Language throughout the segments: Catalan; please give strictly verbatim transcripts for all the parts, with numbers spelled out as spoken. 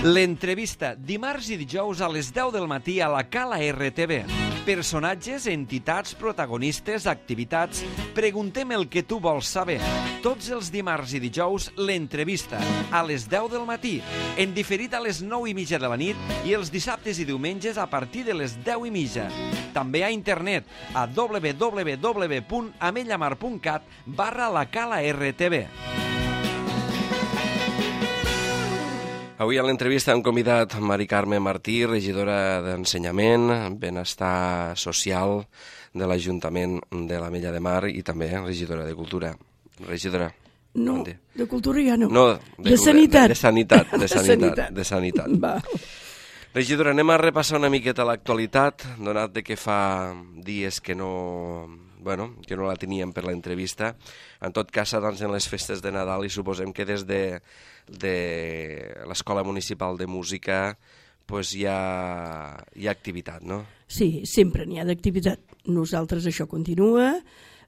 L'entrevista, dimarts i dijous a les deu del matí a la Cala R T V. Personatges, entitats, protagonistes, activitats... Preguntem el que tu vols saber. Tots els dimarts i dijous, l'entrevista, a les deu del matí, en diferit a les nou i mitja de la nit i els dissabtes i diumenges a partir de les deu i mitja. També a internet, a w w w punt amellamar punt cat barra la Cala R T V. Avui a l'entrevista hem convidat Mari Carme Martí, regidora d'Ensenyament, Benestar Social de l'Ajuntament de l'Ametlla de Mar i també regidora de Cultura. Regidora. No, de Cultura ja no. No, de, de Sanitat. De, de Sanitat, de de Sanitat. Sanitat. De Sanitat. Va. Regidora, anem a repassar una miqueta l'actualitat, donat de que fa dies que no... bueno, que no la teníem per l'entrevista. En tot cas, doncs, en les festes de Nadal i suposem que des de, de l'Escola Municipal de Música pues, hi, ha, hi ha activitat, no? Sí, sempre n'hi ha d'activitat. Nosaltres això continua.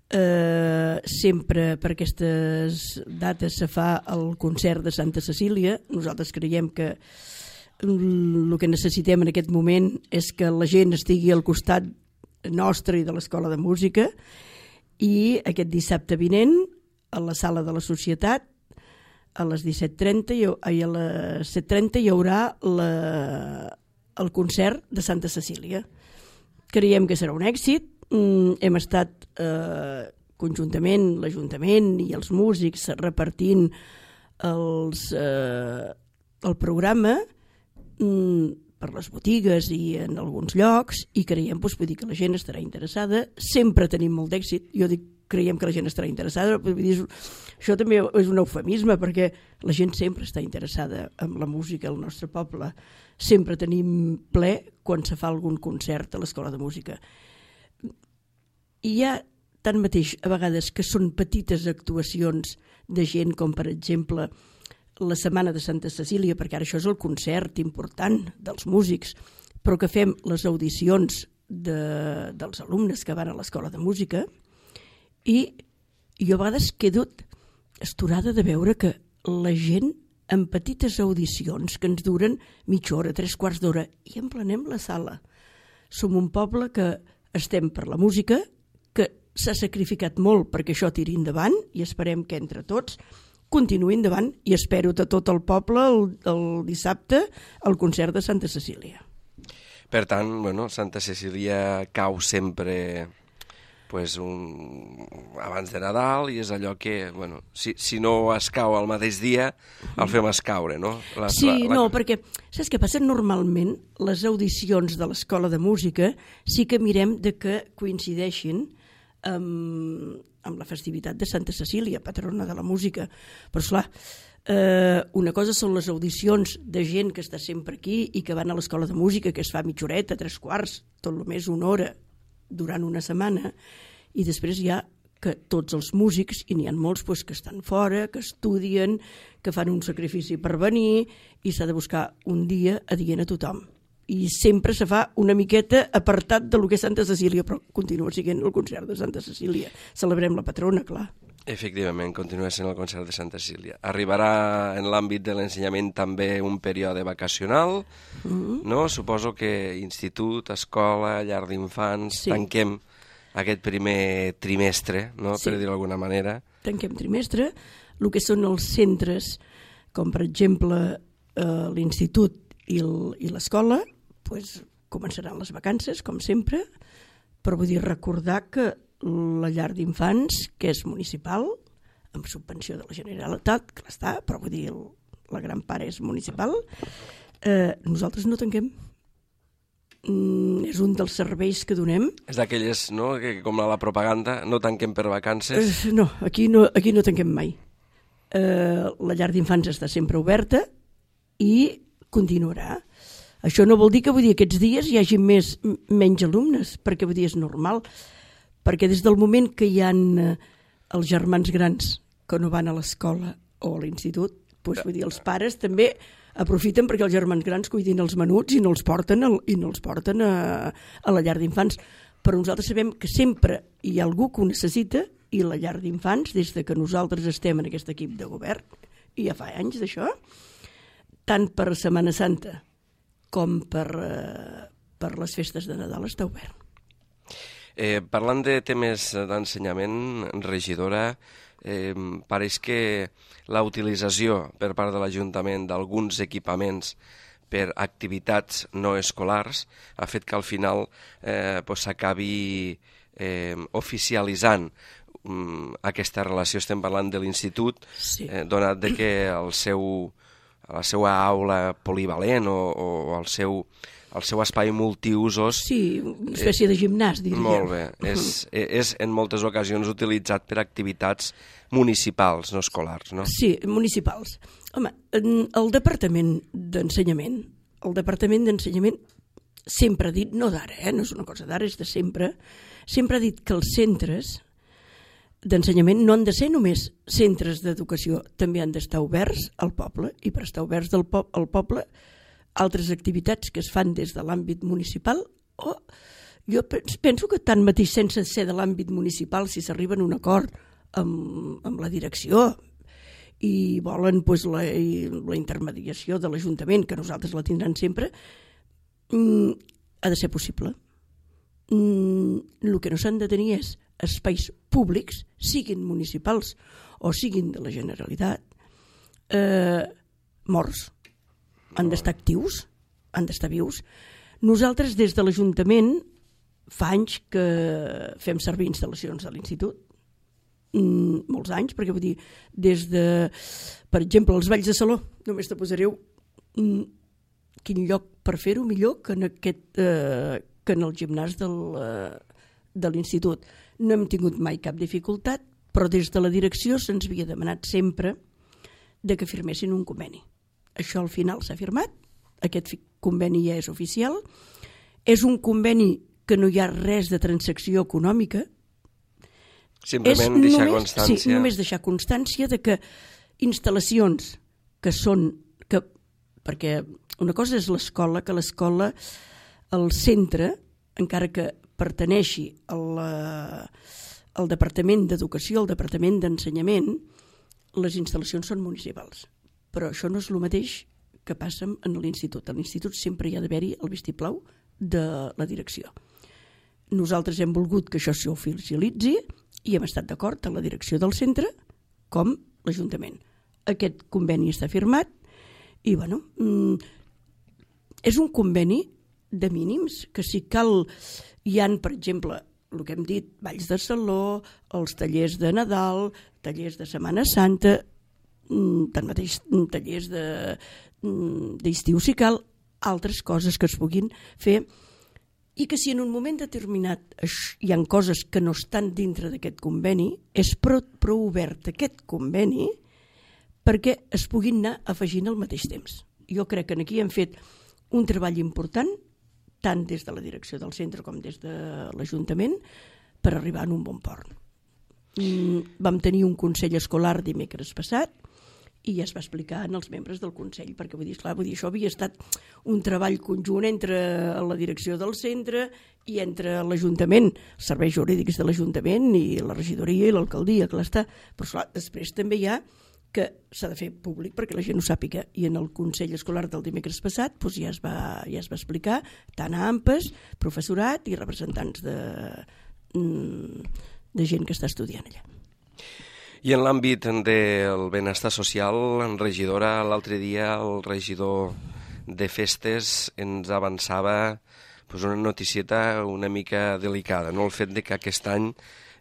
Eh, sempre per aquestes dates se fa el concert de Santa Cecília. Nosaltres creiem que el que necessitem en aquest moment és que la gent estigui al costat nostre i de l'Escola de Música, i aquest dissabte vinent a la Sala de la Societat a les disset trenta i a les set trenta hi haurà la, el concert de Santa Cecília. Creiem que serà un èxit. Hem estat eh, conjuntament l'Ajuntament i els músics repartint els, eh, el programa per les botigues i en alguns llocs, i creiem doncs, vull dir que la gent estarà interessada. Sempre tenim molt d'èxit. Jo dic, creiem que la gent estarà interessada. Vull dir, això també és un eufemisme, perquè la gent sempre està interessada en la música al nostre poble. Sempre tenim ple quan se fa algun concert a l'Escola de Música. I hi ha tanmateix a vegades que són petites actuacions de gent, com per exemple la Setmana de Santa Cecília, perquè ara això és el concert important dels músics, però que fem les audicions de, dels alumnes que van a l'Escola de Música, i jo a vegades quedo astorada de veure que la gent en petites audicions que ens duren mitja hora, tres quarts d'hora, i emplenem la sala. Som un poble que estem per la música, que s'ha sacrificat molt perquè això tiri endavant, i esperem que entre tots continuï endavant, i espero de tot el poble el, el dissabte al concert de Santa Cecília. Per tant, bueno, Santa Cecília cau sempre pues, un... abans de Nadal, i és allò que, bueno, si, si no es cau al mateix dia, el fem escaure, no? La, sí, la, la... no, perquè saps què passa? Normalment les audicions de l'Escola de Música sí que mirem de que coincideixin amb, amb la festivitat de Santa Cecília, patrona de la música. Però, esclar, eh, una cosa són les audicions de gent que està sempre aquí i que van a l'Escola de Música, que es fa mitja horeta, tres quarts, tot el més una hora durant una setmana, i després hi ha que tots els músics, i n'hi ha molts pues, que estan fora, que estudien, que fan un sacrifici per venir, i s'ha de buscar un dia adient a tothom. I sempre se fa una miqueta apartat de lo que és Santa Cecília, però continua sent el concert de Santa Cecília. Celebrem la patrona, clar. Efectivament, continua sent el concert de Santa Cecília. Arribarà en l'àmbit de l'ensenyament també un període vacacional, mm-hmm. no? Suposo que institut, escola, llar d'infants, sí. Tanquem aquest primer trimestre, no? Sí. Per dir-ho d'alguna manera. Tanquem trimestre. El que són els centres, com per exemple eh, l'institut i l'escola, pues, començaran les vacances, com sempre, però vull dir recordar que la llar d'infants, que és municipal, amb subvenció de la Generalitat, que està, però vull dir, la gran part és municipal, eh, nosaltres no tanquem. Mm, és un dels serveis que donem. És d'aquelles, no?, que com a la propaganda, no tanquem per vacances. Eh, no, aquí no, aquí no tanquem mai. Eh, la llar d'infants està sempre oberta i continuarà. Això no vol dir que vull dir, aquests dies hi hagi més, menys alumnes, perquè vull dir, és normal, perquè des del moment que hi ha els germans grans que no van a l'escola o a l'institut, doncs, vull dir, els pares també aprofiten perquè els germans grans cuidin els menuts i no els porten, el, i no els porten a, a la llar d'infants. Però nosaltres sabem que sempre hi ha algú que ho necessita, i la llar d'infants, des de que nosaltres estem en aquest equip de govern, i ja fa anys d'això, tant per Setmana Santa com per, eh, per les festes de Nadal està obert. Eh, parlant de temes d'ensenyament, regidora, eh, pareix que la utilització per part de l'Ajuntament d'alguns equipaments per activitats no escolars ha fet que al final eh, pues, s'acabi eh, oficialitzant um, aquesta relació. Estem parlant de l'institut, Sí. eh, donat de que el seu, la seva aula polivalent o, o el seu el seu espai multiusos... Sí, una espècie de gimnàs, diria. Molt bé. És, és en moltes ocasions utilitzat per activitats municipals, no escolars, no? Sí, municipals. Home, el Departament d'Ensenyament, el Departament d'Ensenyament sempre ha dit, no d'ara, eh, no és una cosa d'ara, és de sempre, sempre ha dit que els centres d'ensenyament no han de ser només centres d'educació, també han d'estar oberts al poble, i per estar oberts del po al poble altres activitats que es fan des de l'àmbit municipal, o jo penso que tanmateix sense ser de l'àmbit municipal, si s'arriba a un acord amb, amb la direcció i volen pues, la, la intermediació de l'Ajuntament, que nosaltres la tindran sempre, mm, ha de ser possible. Mm, el que no s'han de tenir és espais públics, siguin municipals o siguin de la Generalitat, eh, morts. Han d'estar actius, han d'estar vius. Nosaltres, des de l'Ajuntament, fa anys que fem servir instal·lacions a l'institut, mm, molts anys, perquè vull dir, des de, per exemple, els balls de saló, només te posareu mm, quin lloc per fer-ho millor que en, aquest, eh, que en el gimnàs del, eh, de l'institut. No hem tingut mai cap dificultat, però des de la direcció se'ns havia demanat sempre de que firmessin un conveni. Això al final s'ha firmat, aquest conveni ja és oficial, és un conveni que no hi ha res de transacció econòmica, simplement és deixar només, constància. Sí, només deixar constància de que instal·lacions que són, que, perquè una cosa és l'escola, que l'escola, el centre, encara que pertaneixi al, al Departament d'Educació, al Departament d'Ensenyament, les instal·lacions són municipals. Però això no és el mateix que passa en l'institut. A l'institut sempre hi ha d'haver-hi el vistiplau de la direcció. Nosaltres hem volgut que això s'oficialitzi i hem estat d'acord amb la direcció del centre com l'Ajuntament. Aquest conveni està firmat i, bueno, és un conveni de mínims, que si cal, hi han, per exemple, el que hem dit, balls de saló, els tallers de Nadal, tallers de Setmana Santa, tanmateix tallers d'estiu si cal, altres coses que es puguin fer, i que si en un moment determinat hi ha coses que no estan dintre d'aquest conveni, és prou, prou obert aquest conveni perquè es puguin anar afegint al mateix temps. Jo crec que aquí hem fet un treball important, tant des de la direcció del centre com des de l'Ajuntament, per arribar a un bon port. Vam tenir un consell escolar dimecres passat, i ja es va explicar als membres del Consell, perquè vull dir, esclar, vull dir, això havia estat un treball conjunt entre la direcció del centre i entre l'Ajuntament, els serveis jurídics de l'Ajuntament i la regidoria i l'alcaldia, clar està, però esclar, després també hi ha que s'ha de fer públic perquè la gent ho sàpiga, i en el Consell Escolar del dimecres passat doncs ja, es va, ja es va explicar tant a A M P E S, professorat i representants de, de gent que està estudiant allà. I en l'àmbit del benestar social, en regidora, l'altre dia el regidor de festes ens avançava pues, una noticieta una mica delicada, no? El fet de que aquest any,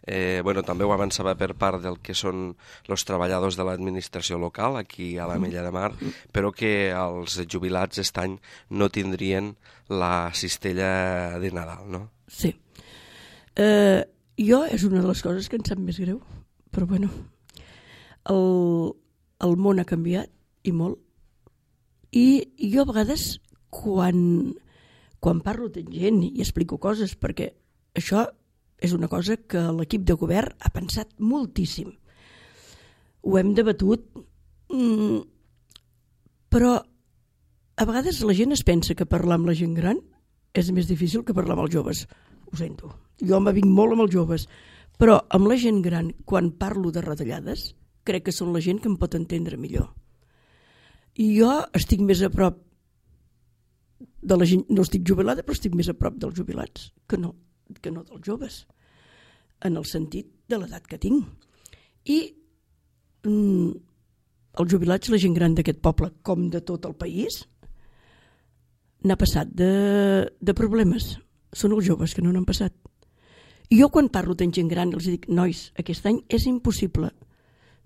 eh, bueno, també ho avançava per part del que són els treballadors de l'administració local, aquí a l'Ametlla de Mar, però que els jubilats aquest any no tindrien la cistella de Nadal, no? Sí. Eh, jo és una de les coses que em sap més greu, però bueno, el, el món ha canviat i molt, i jo a vegades quan, quan parlo amb gent i explico coses, perquè això és una cosa que l'equip de govern ha pensat moltíssim, ho hem debatut, però a vegades la gent es pensa que parlar amb la gent gran és més difícil que parlar amb els joves. Ho sento, jo me vinc molt amb els joves, però amb la gent gran, quan parlo de retallades, crec que són la gent que em pot entendre millor. I jo estic més a prop de la gent, no estic jubilada, però estic més a prop dels jubilats que no, que no dels joves, en el sentit de l'edat que tinc. I mm, els jubilats, la gent gran d'aquest poble, com de tot el país, n'ha passat de, de problemes. Són els joves que no n'han passat. I jo quan parlo amb gent gran els dic, nois, aquest any és impossible.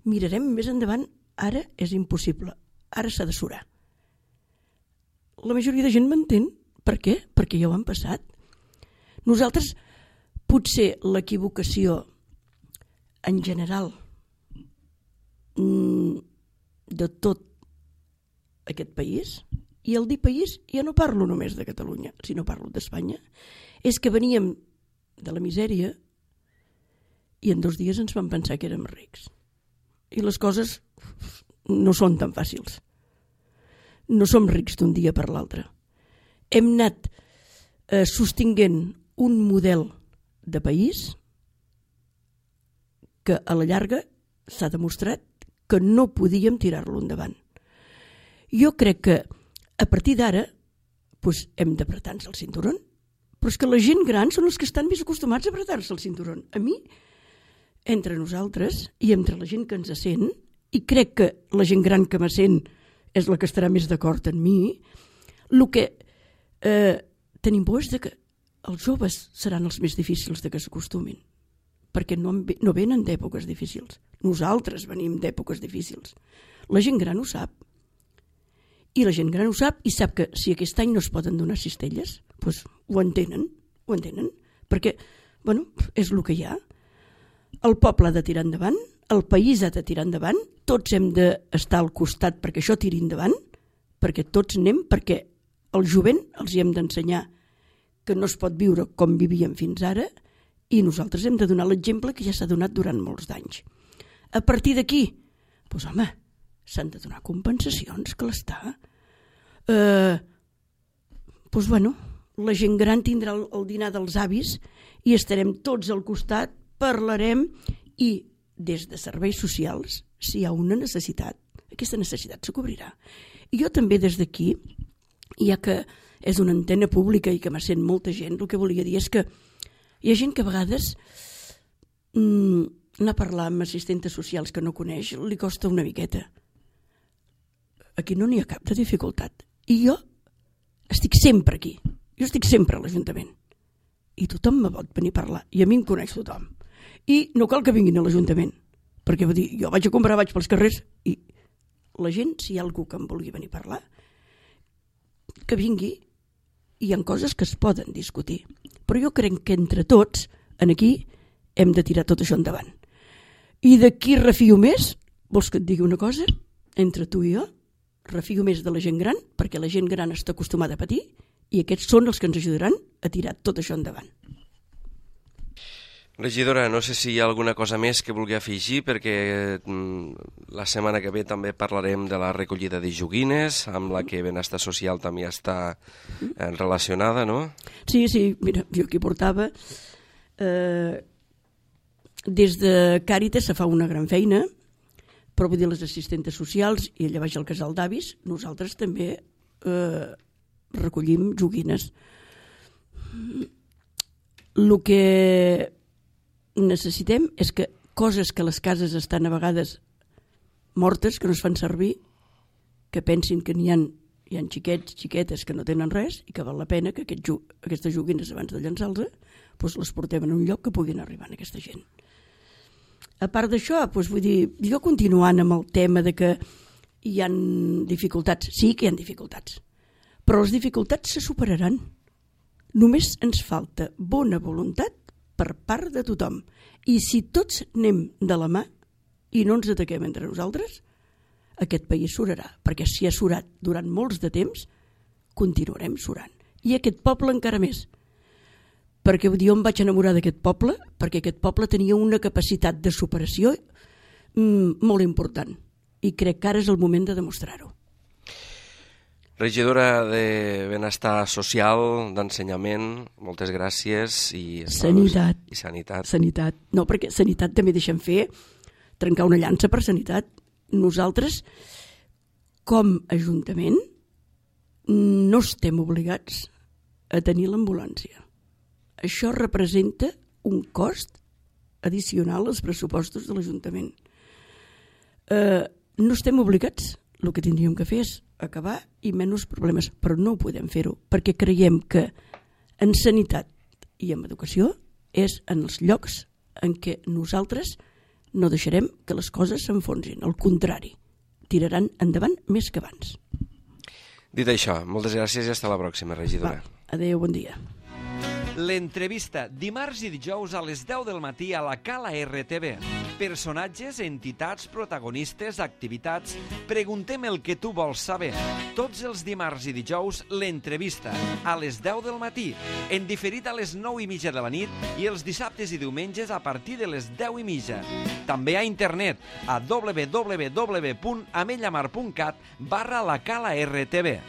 Mirarem més endavant, ara és impossible. Ara s'ha de surar. La majoria de gent m'entén. Per què? Perquè ja ho han passat. Nosaltres, potser l'equivocació en general de tot aquest país, i el dir país ja no parlo només de Catalunya, sinó parlo d'Espanya, és que veníem de la misèria i en dos dies ens vam pensar que érem rics. I les coses no són tan fàcils. No som rics d'un dia per l'altre. Hem anat eh, sostinguent un model de país que a la llarga s'ha demostrat que no podíem tirar-lo endavant. Jo crec que a partir d'ara doncs hem d'apretar-nos el cinturó, però és que la gent gran són els que estan més acostumats a apretar-se el cinturó. A mi, entre nosaltres i entre la gent que ens sent, i crec que la gent gran que me sent és la que estarà més d'acord amb mi, el que eh, tenim por és que els joves seran els més difícils de que s'acostumin, perquè no, no venen d'èpoques difícils. Nosaltres venim d'èpoques difícils. La gent gran ho sap. I la gent gran ho sap i sap que si aquest any no es poden donar cistelles, doncs ho entenen, ho entenen, perquè, bueno, és el que hi ha. El poble ha de tirar endavant, el país ha de tirar endavant, tots hem d'estar al costat perquè això tiri endavant, perquè tots anem, perquè el jovent els hi hem d'ensenyar que no es pot viure com vivíem fins ara i nosaltres hem de donar l'exemple que ja s'ha donat durant molts d'anys. A partir d'aquí, doncs home, s'han de donar compensacions, que l'està. Eh, doncs bueno, la gent gran tindrà el, el dinar dels avis i estarem tots al costat, parlarem i des de serveis socials, si hi ha una necessitat, aquesta necessitat se cobrirà. I jo també des d'aquí, ja que és una antena pública i que me sent molta gent, el que volia dir és que hi ha gent que a vegades mmm, anar a parlar amb assistentes socials que no coneix li costa una miqueta. Aquí no n'hi ha cap de dificultat. I jo estic sempre aquí. Jo estic sempre a l'Ajuntament. I tothom me pot venir a parlar. I a mi em coneix tothom. I no cal que vinguin a l'Ajuntament, perquè vull dir, jo vaig a comprar, vaig pels carrers i la gent, si hi ha algú que em vulgui venir a parlar, que vingui, i hi ha coses que es poden discutir. Però jo crec que entre tots, en aquí, hem de tirar tot això endavant. I de qui refio més? Vols que et digui una cosa? Entre tu i jo, refio més de la gent gran, perquè la gent gran està acostumada a patir, i aquests són els que ens ajudaran a tirar tot això endavant. Regidora, no sé si hi ha alguna cosa més que vulgui afegir, perquè la setmana que ve també parlarem de la recollida de joguines, amb la que Benestar Social també està relacionada, no? Sí, sí, mira, jo aquí portava... Eh, des de Càritas se fa una gran feina, però vull dir, les assistentes socials i allà baix al casal d'avis, nosaltres també eh, recollim joguines. El que necessitem és que coses que les cases estan a vegades mortes, que no es fan servir, que pensin que n'hi ha, hi ha xiquets, xiquetes que no tenen res i que val la pena que aquest, aquestes joguines abans de llançar-les doncs les portem en un lloc que puguin arribar a aquesta gent. A part d'això, doncs vull dir, jo continuant amb el tema de que hi ha dificultats, sí que hi ha dificultats, però les dificultats se superaran. Només ens falta bona voluntat per part de tothom. I si tots anem de la mà i no ens ataquem entre nosaltres, aquest país surarà, perquè si ha surat durant molts de temps, continuarem surant. I aquest poble encara més. Perquè jo em vaig enamorar d'aquest poble, perquè aquest poble tenia una capacitat de superació mm, molt important. I crec que ara és el moment de demostrar-ho. Regidora de Benestar Social, d'Ensenyament, moltes gràcies. I Sanitat. I Sanitat. Sanitat. No, perquè Sanitat també deixem fer, trencar una llança per Sanitat. Nosaltres, com a Ajuntament no estem obligats a tenir l'ambulància. Això representa un cost addicional als pressupostos de l'Ajuntament. Eh, no estem obligats, el que tindríem que fer és acabar i menys problemes, però no ho podem fer-ho, perquè creiem que en sanitat i en educació és en els llocs en què nosaltres no deixarem que les coses s'enfonsin, al contrari, tiraran endavant més que abans. Dit això, moltes gràcies i fins la pròxima, regidora. Va, adéu, bon dia. L'entrevista, dimarts i dijous a les deu del matí a la Cala R T V. Personatges, entitats, protagonistes, activitats... Preguntem el que tu vols saber. Tots els dimarts i dijous, l'entrevista, a les deu del matí, en diferit a les nou i mitja de la nit i els dissabtes i diumenges a partir de les deu i mitja. També a internet, a w w w punt amellamar punt cat barra la Cala R T V.